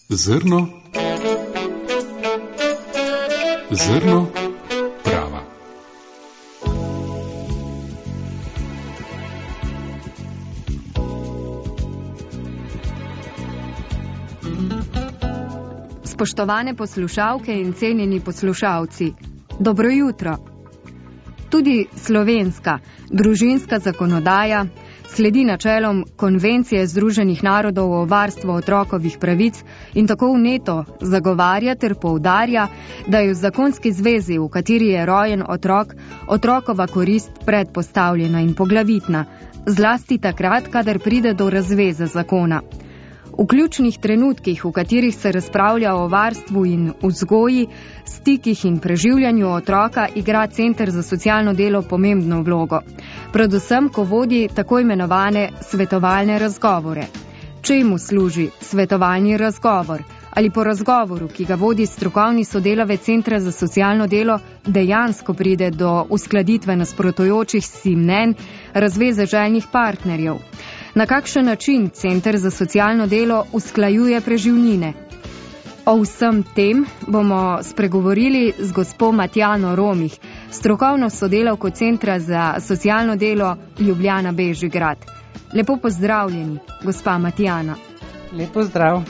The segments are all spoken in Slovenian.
Zrno prava. Spoštovane poslušalke in cenjeni poslušalci, dobro jutro. Tudi slovenska družinska zakonodaja sledi načelom Konvencije Združenih narodov o varstvu otrokovih pravic in tako vneto zagovarja ter poudarja, da je v zakonski zvezi, v kateri je rojen otrok, otrokova korist predpostavljena in poglavitna, zlasti takrat, kadar pride do razveze zakona. V ključnih trenutkih, v katerih se razpravlja o varstvu in vzgoji, stikih in preživljanju otroka, igra Center za socialno delo pomembno vlogo. Predvsem, ko vodi tako imenovane svetovalne razgovore. Čemu služi svetovalni razgovor? Ali po razgovoru, ki ga vodi strokovni sodelavec Centra za socialno delo, dejansko pride do uskladitve nasprotujočih si mnenj razveze željnih partnerjev? Na kakšen način Center za socialno delo usklajuje preživnine? O vsem tem bomo spregovorili z gospo Matjano Romih, strokovno sodelavko Centra za socialno delo Ljubljana Bežigrad. Lepo pozdravljeni, gospa Matjana. Lepo zdrav.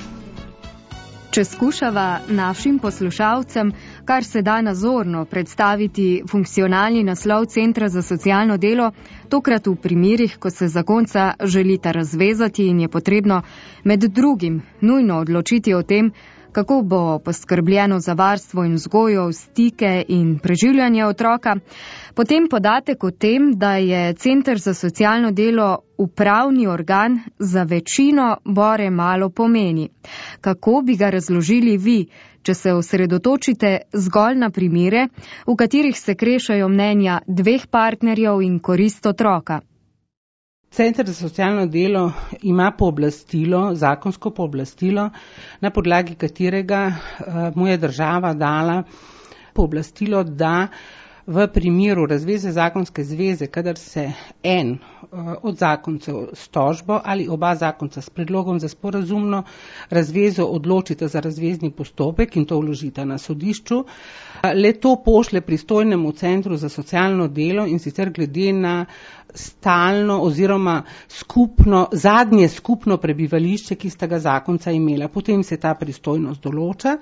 Če skušava našim poslušalcem kar se da nazorno predstaviti funkcionalni naslov Centra za socialno delo, tokrat v primerih, ko se zakonca želita razvezati in je potrebno med drugim nujno odločiti o tem, kako bo poskrbljeno za varstvo in vzgojo, stike in preživljanje otroka, potem podatek o tem, da je Center za socialno delo upravni organ, za večino bore malo pomeni. Kako bi ga razložili vi, če se osredotočite zgolj na primere, v katerih se krešajo mnenja dveh partnerjev in korist otroka? Center za socialno delo ima pooblastilo, zakonsko pooblastilo, na podlagi katerega mu je država dala pooblastilo, da v primeru razveze zakonske zveze, kadar se en od zakoncev s tožbo ali oba zakonca s predlogom za sporazumno razvezo odločita za razvezni postopek in to vložita na sodišču, le to pošle pristojnemu Centru za socialno delo in sicer glede na stalno oziroma zadnje skupno prebivališče, ki sta ga zakonca imela. Potem se ta pristojnost določa.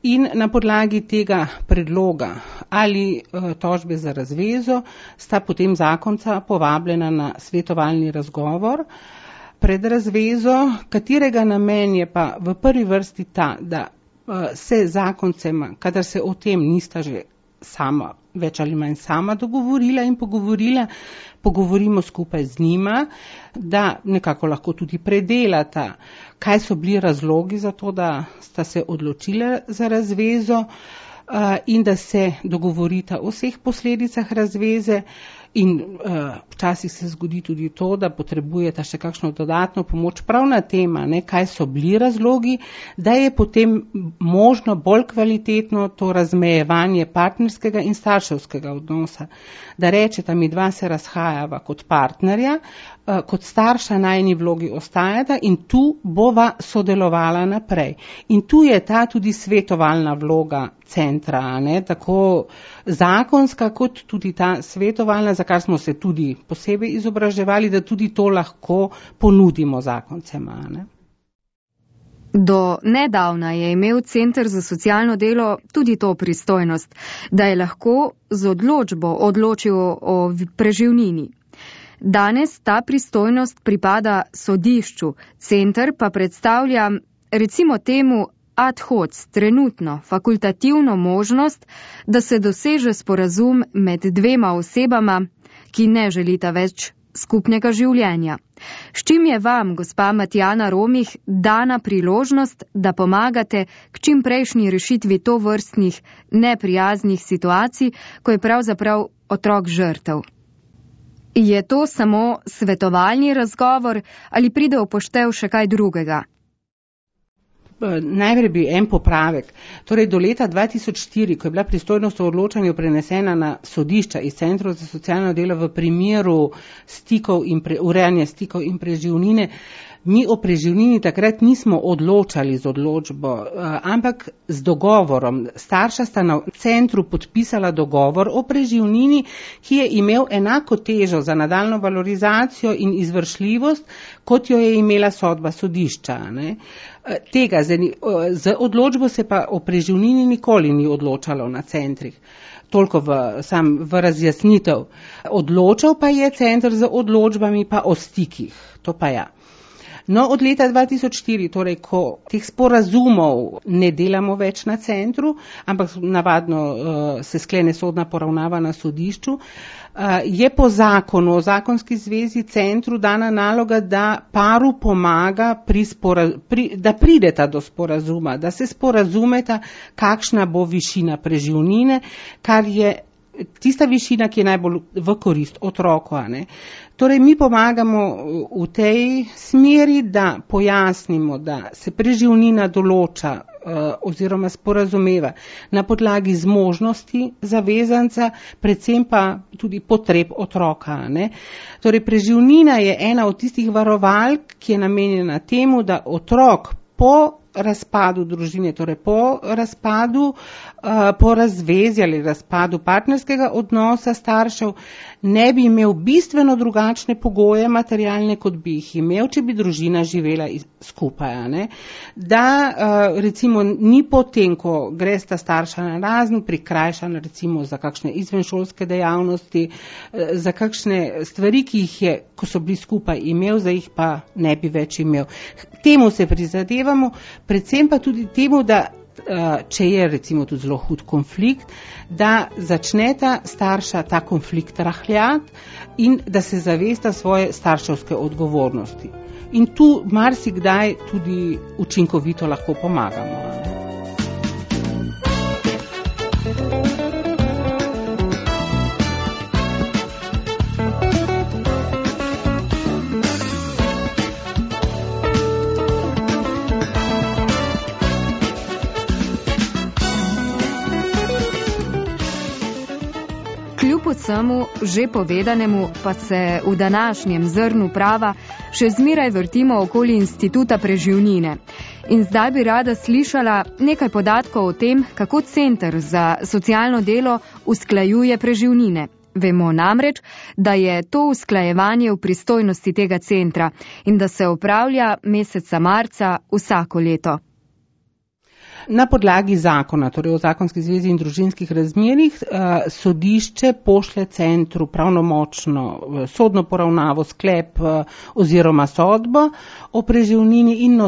In na podlagi tega predloga ali tožbe za razvezo sta potem zakonca povabljena na svetovalni razgovor pred razvezo, katerega namen je pa v prvi vrsti ta, da se zakoncema, kadar se o tem nista že sama, več ali manj sama dogovorila in pogovorimo skupaj z njima, da nekako lahko tudi predelata, kaj so bili razlogi za to, da sta se odločila za razvezo in da se dogovorita o vseh posledicah razveze. In včasih se zgodi tudi to, da potrebujeta še kakšno dodatno pomoč prav na tema, kaj so bili razlogi, da je potem možno bolj kvalitetno to razmejevanje partnerskega in starševskega odnosa. Da rečeta, mi dva se razhajava kot partnerja, kot starša najni vlogi ostajata in tu bova sodelovala naprej. In tu je ta tudi svetovalna vloga centra, tako zakonska kot tudi ta svetovalna, za kar smo se tudi posebej izobraževali, da tudi to lahko ponudimo zakoncema. Do nedavna je imel Center za socialno delo tudi to pristojnost, da je lahko z odločbo odločil o preživnini. Danes ta pristojnost pripada sodišču, center pa predstavlja, recimo temu, ad hoc, trenutno, fakultativno možnost, da se doseže sporazum med dvema osebama, ki ne želita več skupnega življenja. S čim je vam, gospa Matjana Romih, dana priložnost, da pomagate k čim prejšnji rešitvi tovrstnih neprijaznih situacij, ko je pravzaprav otrok žrtev? Je to samo svetovalni razgovor ali pride v poštev še kaj drugega? Najprej bi en popravek. Torej do leta 2004, ko je bila pristojnost o odločanju prenesena na sodišča iz Centrov za socialno delo v primeru urejanja stikov in preživnine, Mi o preživnini takrat nismo odločali z odločbo, ampak z dogovorom. Starša sta na centru podpisala dogovor o preživnini, ki je imel enako težo za nadaljnjo valorizacijo in izvršljivost, kot jo je imela sodba sodišča. Ne? Tega, z odločbo se pa o preživnini nikoli ni odločalo na centrih. Toliko v razjasnitev. Odločal pa je center z odločbami pa o stikih. To pa ja. No, od leta 2004, torej, ko teh sporazumov ne delamo več na centru, ampak navadno se sklene sodna poravnava na sodišču, je po zakonu o zakonski zvezi centru dana naloga, da paru pomaga da prideta do sporazuma, da se sporazumeta, kakšna bo višina preživnine, kar je tista višina, ki je najbolj v korist otroku. Torej, mi pomagamo v tej smeri, da pojasnimo, da se preživnina določa oziroma sporazumeva na podlagi zmožnosti zavezanca, predvsem pa tudi potreb otroka. Torej, preživnina je ena od tistih varovalk, ki je namenjena temu, da otrok po razpadu družine, torej po razpadu, po razvezi ali razpadu partnerskega odnosa staršev, ne bi imel bistveno drugačne pogoje materialne, kot bi jih imel, če bi družina živela skupaj. Da recimo ni potem, ko gresta starša na razen, prikrajšana recimo za kakšne izvenšolske dejavnosti, za kakšne stvari, ki jih je, ko so bili skupaj, imel, za jih pa ne bi več imel. Temu se prizadevamo, predvsem pa tudi temu, da če je recimo tudi zelo hud konflikt, da začneta starša ta konflikt rahljati in da se zavesta svoje starševske odgovornosti. In tu marsikdaj tudi učinkovito lahko pomagamo. Vsemu že povedanemu pa se v današnjem zrnu prava še zmeraj vrtimo okoli instituta preživnine. In zdaj bi rada slišala nekaj podatkov o tem, kako Center za socialno delo usklajuje preživnine. Vemo namreč, da je to usklajevanje v pristojnosti tega centra in da se opravlja meseca marca vsako leto. Na podlagi zakona, torej o zakonski zvezi in družinskih razmerjih, sodišče pošlje centru pravnomočno sodno poravnavo, sklep oziroma sodbo o preživnini in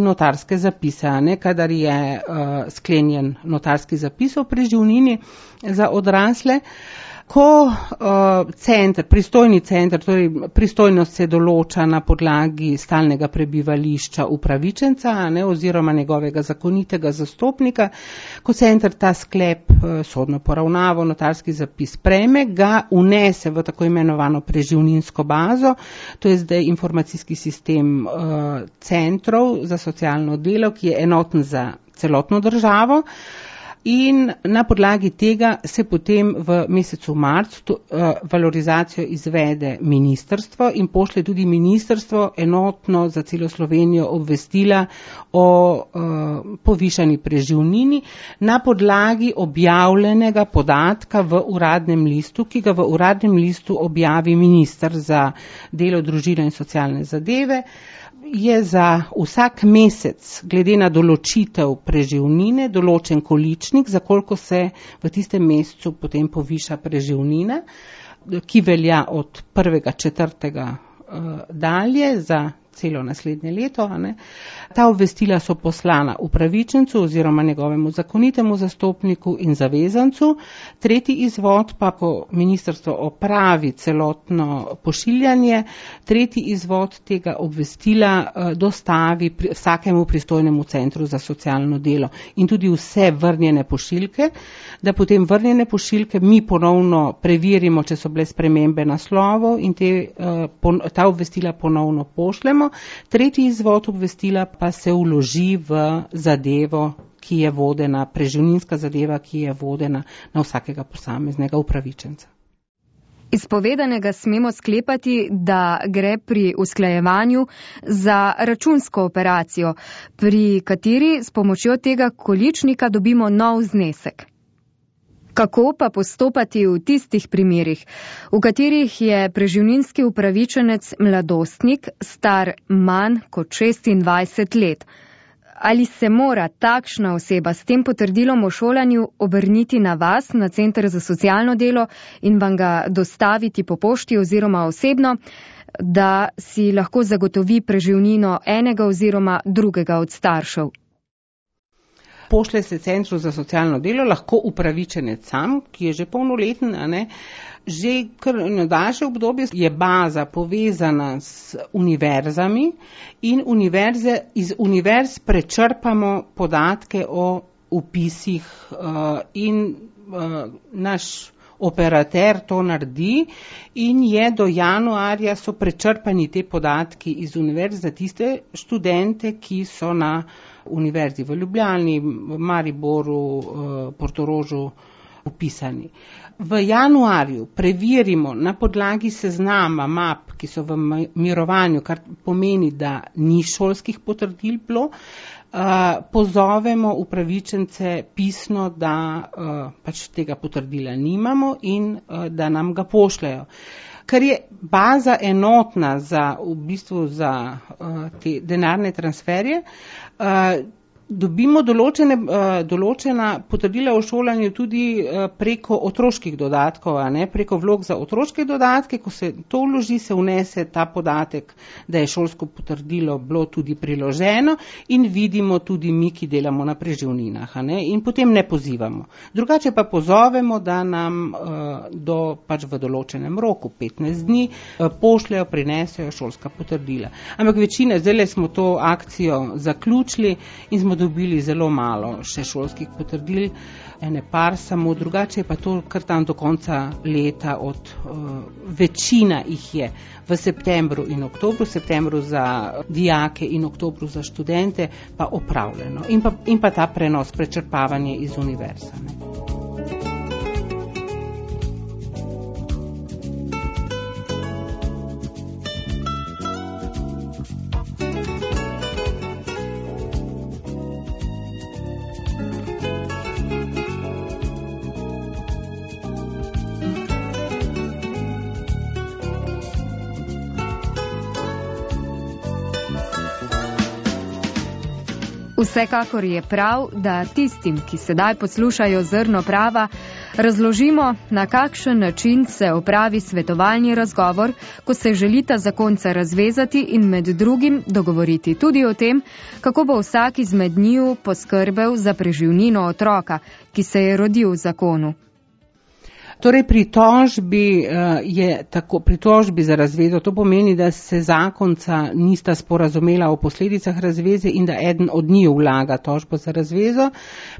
notarske zapise, kadar je sklenjen notarski zapis o preživnini za odrasle. Ko pristojni center, torej pristojnost se določa na podlagi stalnega prebivališča upravičenca oziroma njegovega zakonitega zastopnika, ko center ta sklep, sodno poravnavo, notarski zapis prejme, ga unese v tako imenovano preživninsko bazo, to je zdaj informacijski sistem centrov za socialno delo, ki je enoten za celotno državo. In na podlagi tega se potem v mesecu marcu valorizacijo izvede ministrstvo in pošlje tudi ministrstvo enotno za celo Slovenijo obvestila o povišani preživnini na podlagi objavljenega podatka v uradnem listu, ki ga v uradnem listu objavi minister za delo, družino in socialne zadeve. Je za vsak mesec, glede na določitev preživnine, določen količnik, za koliko se v tistem mesecu potem poviša preživnina, ki velja od 1.4. Dalje za celo naslednje leto. Ta obvestila so poslana upravičencu oziroma njegovemu zakonitemu zastopniku in zavezancu. Tretji izvod pa, ko ministrstvo opravi celotno pošiljanje, tretji izvod tega obvestila dostavi vsakemu pristojnemu centru za socialno delo in tudi vse vrnjene pošiljke, da potem vrnjene pošiljke mi ponovno preverimo, če so bile spremembe naslovov in ta obvestila ponovno pošljemo. Tretji izvod obvestila pa se vloži v zadevo, ki je vodena, preživninska zadeva, ki je vodena na vsakega posameznega upravičenca. Iz povedanega smemo sklepati, da gre pri usklajevanju za računsko operacijo, pri kateri s pomočjo tega količnika dobimo nov znesek. Kako pa postopati v tistih primerih, v katerih je preživninski upravičenec mladostnik star manj kot 26 let? Ali se mora takšna oseba s tem potrdilom o šolanju obrniti na vas, na Center za socialno delo in vam ga dostaviti po pošti oziroma osebno, da si lahko zagotovi preživnino enega oziroma drugega od staršev? Pošlje se Centru za socialno delo, lahko upravičenec sam, ki je že polnoleten, Že kar na daljše obdobje je baza povezana s univerzami in iz univerz prečrpamo podatke o vpisih in naš operater to naredi in je do januarja so prečrpani te podatki iz univerz za tiste študente, ki so na univerzi v Ljubljani, Mariboru, Portorožu upisani. V januarju preverimo na podlagi seznama map, ki so v mirovanju, kar pomeni, da ni šolskih potrdil bilo, pozovemo upravičence pisno, da pač tega potrdila nimamo in da nam ga pošljajo. Ker je baza enotna za te denarne transferje, dobimo določena potrdila o šolanju tudi preko otroških dodatkov, preko vlog za otroške dodatke. Ko se to vloži, se vnese ta podatek, da je šolsko potrdilo bilo tudi priloženo in vidimo tudi mi, ki delamo na preživninah, in potem ne pozivamo. Drugače pa pozovemo, da nam pač v določenem roku, 15 dni, pošljajo, prinesejo šolska potrdila. Ampak večina, zdaj smo to akcijo zaključili in smo dobili zelo malo še šolskih potrdil, ene par samo, drugače pa to kar tam do konca leta večina jih je v septembru in oktobru, septembru za dijake in oktobru za študente pa opravljeno. In pa ta prenos, prečrpavanje iz univerza. Vsekakor je prav, da tistim, ki sedaj poslušajo Zrno prava, razložimo, na kakšen način se opravi svetovalni razgovor, ko se želita zakonca razvezati in med drugim dogovoriti tudi o tem, kako bo vsak izmed njiju poskrbel za preživnino otroka, ki se je rodil v zakonu. Torej pritožbi za razvezo, to pomeni, da se zakonca nista sporazumela o posledicah razveze in da eden od njiju vlaga tožbo za razvezo,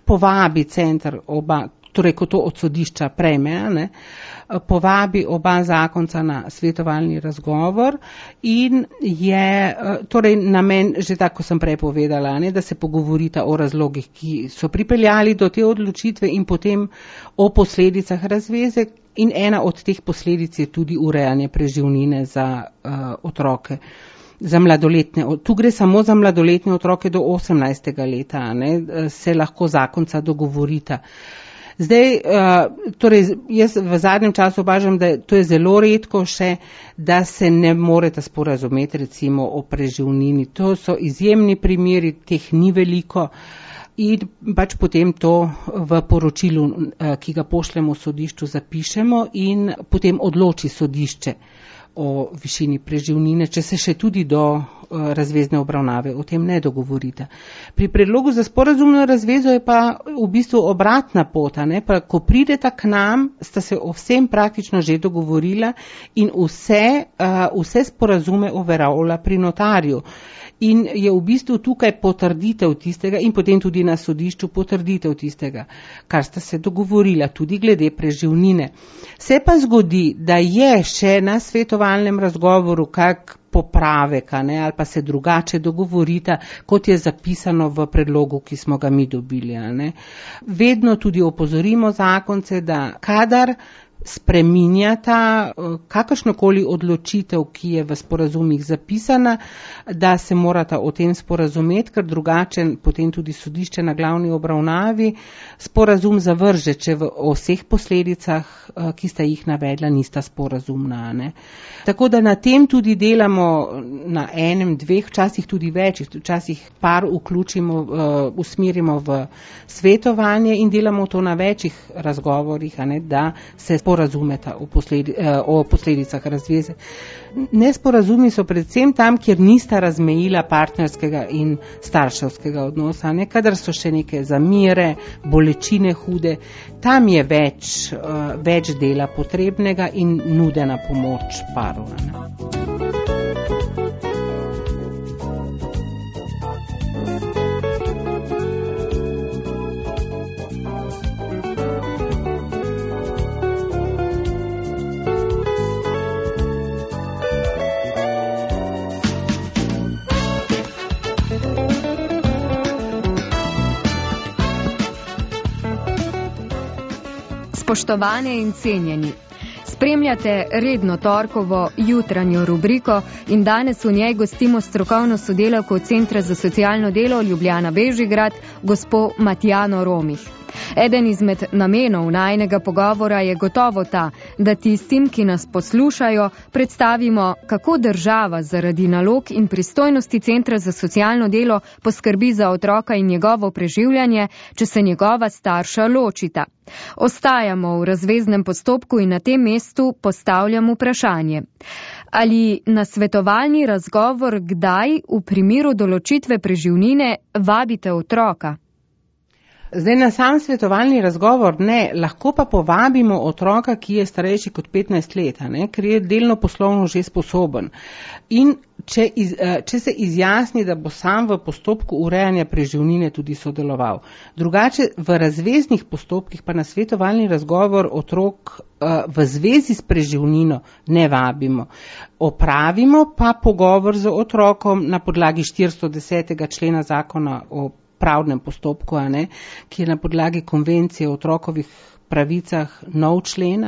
povabi center torej ko to od sodišča prejme, povabi oba zakonca na svetovalni razgovor in je torej namen, že tako sem prej povedala, da se pogovorita o razlogih, ki so pripeljali do te odločitve in potem o posledicah razveze in ena od teh posledic je tudi urejanje preživnine za otroke. Za mladoletne, tu gre samo za mladoletne otroke do 18. leta, se lahko zakonca dogovorita. Zdaj, torej, jaz v zadnjem času opažam, da to je zelo redko še, da se ne moreta sporazumeti recimo o preživnini. To so izjemni primeri, teh ni veliko in pač potem to v poročilu, ki ga pošljemo sodišču, zapišemo in potem odloči sodišče o višini preživnine, če se še tudi do razvezne obravnave o tem ne dogovorita. Pri predlogu za sporazumno razvezo je pa v bistvu obratna pot, pa ko prideta k nam, sta se o vsem praktično že dogovorila in vse sporazume overavlja pri notarju. In je v bistvu tukaj potrditev tistega in potem tudi na sodišču potrditev tistega, kar sta se dogovorila, tudi glede preživnine. Se pa zgodi, da je še na svetovalnem razgovoru kak popravek, ali pa se drugače dogovorita, kot je zapisano v predlogu, ki smo ga mi dobili. Vedno tudi opozorimo zakonce, da kadar spreminjata kakršnokoli odločitev, ki je v sporazumih zapisana, da se morata o tem sporazumeti, ker drugače potem tudi sodišče na glavni obravnavi sporazum zavrže, če v vseh posledicah, ki sta jih navedla, nista sporazumna. Ne? Tako da na tem tudi delamo na enem, dveh, včasih tudi več, včasih par vključimo, usmerimo v svetovanje in delamo to na večjih razgovorih, da se sporazumeta o posledicah razveze. Nesporazumi so predvsem tam, kjer nista razmejila partnerskega in starševskega odnosa, kadar so še neke zamere, bolečine hude, tam je več dela potrebnega in nudena pomoč paru. Spoštovane in cenjeni, spremljate redno torkovo jutranjo rubriko in danes v njej gostimo strokovno sodelavko Centra za socialno delo Ljubljana Bežigrad, gospo Matjano Romih. Eden izmed namenov najinega pogovora je gotovo ta, da tistim, ki nas poslušajo, predstavimo, kako država zaradi nalog in pristojnosti Centra za socialno delo poskrbi za otroka in njegovo preživljanje, če se njegova starša ločita. Ostajamo v razveznem postopku in na tem mestu postavljam vprašanje. Ali na svetovalni razgovor kdaj v primeru določitve preživnine vabite otroka? Zdaj na sam svetovalni razgovor ne, lahko pa povabimo otroka, ki je starejši kot 15 let, ker je delno poslovno že sposoben. In če se izjasni, da bo sam v postopku urejanja preživnine tudi sodeloval. Drugače v razveznih postopkih pa na svetovalni razgovor otrok v zvezi s preživnino ne vabimo. Opravimo pa pogovor z otrokom na podlagi 410. člena zakona o pravnem postopku, ki je na podlagi konvencije o otrokovih pravicah nov člen.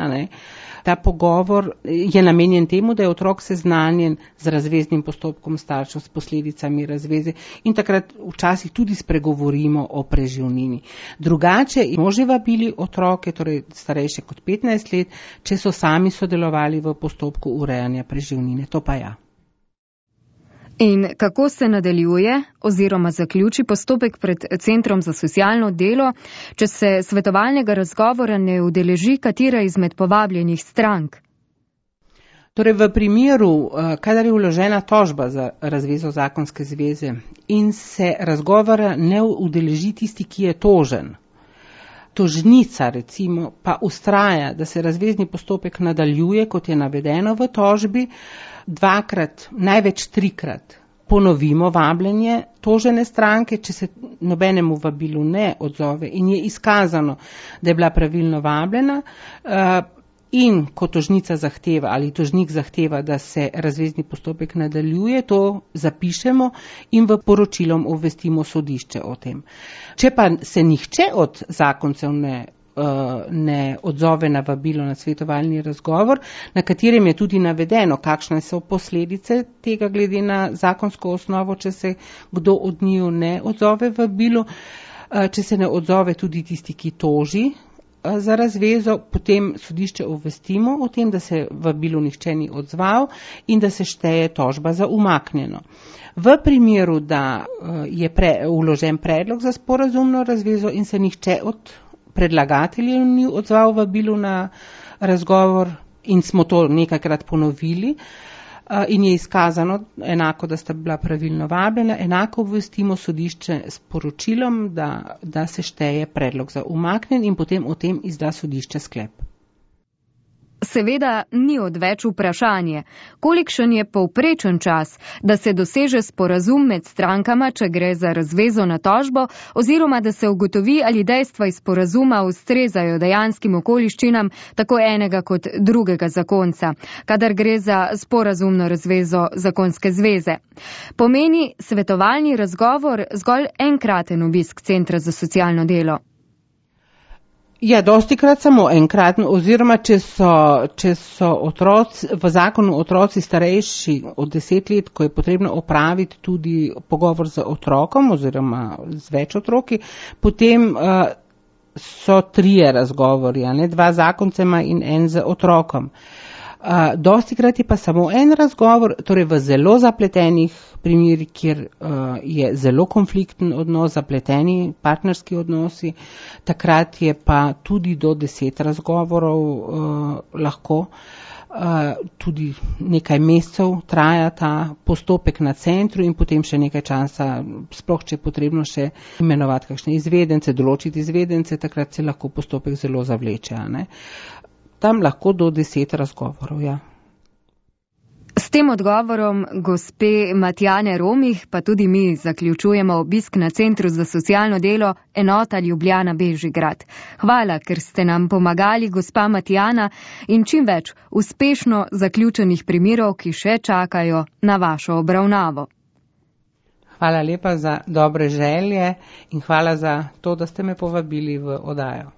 Ta pogovor je namenjen temu, da je otrok seznanjen z razveznim postopkom staršev, s posledicami razveze in takrat včasih tudi spregovorimo o preživnini. Drugače smo že vabili otroke, torej starejše kot 15 let, če so sami sodelovali v postopku urejanja preživnine. To pa ja. In kako se nadaljuje oziroma zaključi postopek pred Centrom za socialno delo, če se svetovalnega razgovora ne udeleži katera izmed povabljenih strank? Torej v primeru, kadar je vložena tožba za razvezo zakonske zveze in se razgovora ne udeleži tisti, ki je tožen, tožnica recimo pa ustraja, da se razvezni postopek nadaljuje, kot je navedeno v tožbi, 2-krat, največ 3-krat ponovimo vabljenje tožene stranke, če se nobenemu vabilu ne odzove in je izkazano, da je bila pravilno vabljena in ko tožnica zahteva ali tožnik zahteva, da se razvezni postopek nadaljuje, to zapišemo in v poročilom obvestimo sodišče o tem. Če pa se nihče od zakoncev ne odzove na vabilo na svetovalni razgovor, na katerem je tudi navedeno, kakšne so posledice tega glede na zakonsko osnovo, če se kdo od njiju ne odzove vabilu, če se ne odzove tudi tisti, ki toži za razvezo, potem sodišče obvestimo o tem, da se vabilu nihče ni odzval in da se šteje tožba za umaknjeno. V primeru, da je vložen predlog za sporazumno razvezo in se nihče od predlagateljev ni odzval vabilu na razgovor in smo to nekajkrat ponovili in je izkazano enako, da sta bila pravilno vabljena, enako obvestimo sodišče s poročilom, da se šteje predlog za umaknjen in potem o tem izda sodišče sklep. Seveda ni odveč vprašanje, kolikšen je povprečen čas, da se doseže sporazum med strankama, če gre za razvezo na tožbo, oziroma da se ugotovi, ali dejstva iz sporazuma ustrezajo dejanskim okoliščinam tako enega kot drugega zakonca, kadar gre za sporazumno razvezo zakonske zveze. Pomeni svetovalni razgovor zgolj enkraten obisk Centra za socialno delo? Ja, dostikrat samo enkratno, oziroma če so otroci, v zakonu otroci starejši od 10 let, ko je potrebno opraviti tudi pogovor z otrokom oziroma z več otroki, potem so 3 razgovori, 2 zakoncema in 1 z otrokom. Dostikrat je pa samo 1 razgovor, torej v zelo zapletenih primerih, kjer je zelo konflikten odnos, zapleteni partnerski odnosi, takrat je pa tudi do 10 razgovorov lahko. Tudi nekaj mesecev traja ta postopek na centru in potem še nekaj časa, sploh če je potrebno še imenovati kakšne izvedence, določiti izvedence, takrat se lahko postopek zelo zavleče. Tam lahko do 10 razgovorov, ja. S tem odgovorom gospe Matjane Romih pa tudi mi zaključujemo obisk na Centru za socialno delo enota Ljubljana Bežigrad. Hvala, ker ste nam pomagali, gospa Matjana, in čim več uspešno zaključenih primerov, ki še čakajo na vašo obravnavo. Hvala lepa za dobre želje in hvala za to, da ste me povabili v oddajo.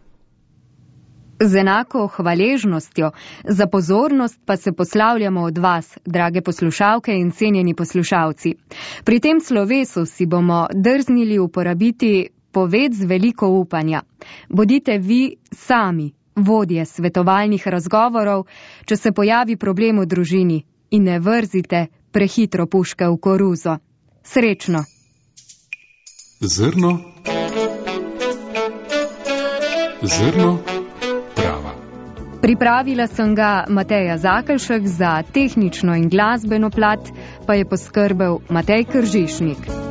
Z enako hvaležnostjo za pozornost pa se poslavljamo od vas, drage poslušalke in cenjeni poslušalci. Pri tem slovesu si bomo drznili uporabiti poved z veliko upanja. Bodite vi sami vodje svetovalnih razgovorov, če se pojavi problem v družini, in ne vrzite prehitro puške v koruzo. Srečno! Zrno prava. Pripravila sem ga Mateja Zakelšek, za tehnično in glasbeno plat pa je poskrbel Matej Kržišnik.